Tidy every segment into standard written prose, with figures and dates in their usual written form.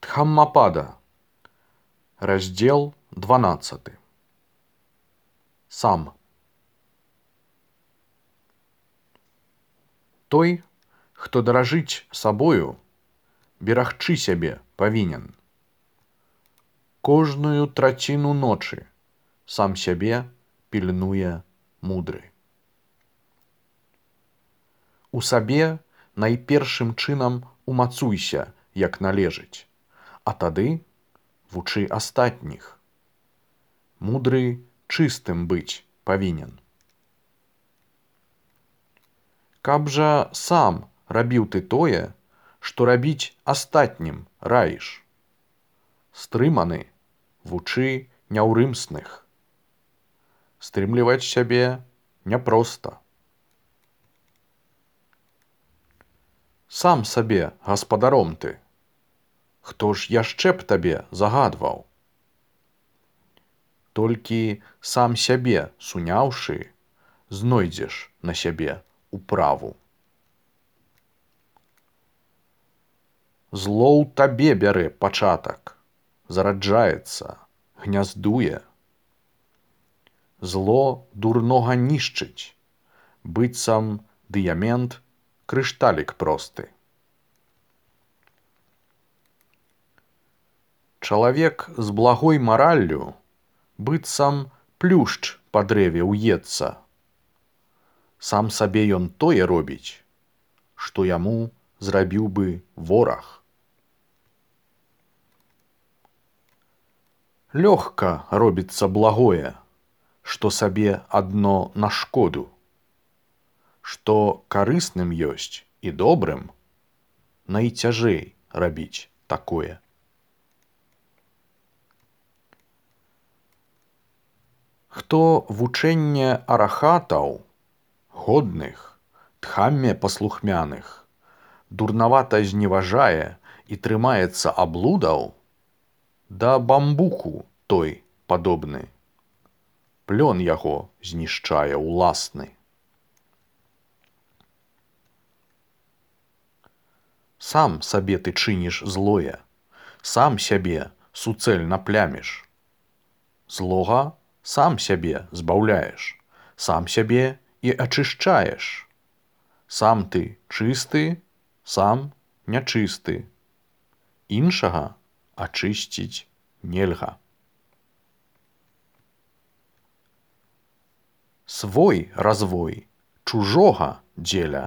Дхаммапада. Раздел 12. Сам. Той, хто даражыць сабою, берагчы сябе павінен. Кожную траціну ночы сам сябе пільнуе мудры. У сабе найпершым чынам умацуйся, як належыць, а тады вучы астатніх. Мудры чыстым быць павінен. Каб жа сам рабіў ты тое, што рабіць астатнім раіш. Стрыманы вучы няўрымсных. Стрымліваць сябе няпроста. Сам сабе гаспадаром ты. Хто ж яшчэ б табе загадваў? Толькі сам сябе суняўшы, знойдзеш на сябе управу. Зло ў табе бярэ пачатак, зараджаецца, гняздуе. Зло дурнога нішчыць, быццам дыямент, крышталік просты. Чалавек з благой мараллю быццам плюшч па дрэве ўецца. Сам сабе ён тое робіць, што яму зрабіў бы вораг. Лёгка робіцца благое, што сабе адно на шкоду. Што карысным ёсць і добрым, найцяжэй рабіць такое. Хто вучэнне арахатаў, годных, дхамме паслухмяных, дурнавата зневажае і трымаецца аблудаў, да бамбуку той падобны. Плён яго знішчае ўласны. Сам сабе ты чыніш злое, сам сябе суцэльна пляміш. Злога сам сябе збаўляеш, сам сябе і ачышчаеш. Сам ты чысты, сам нячысты. Іншага ачысціць нельга. Свой развой чужога дзеля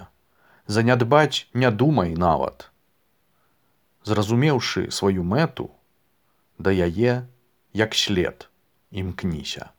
занядбаць не думай нават. Зразумеўшы сваю мэту, да яе, як след, імкніся.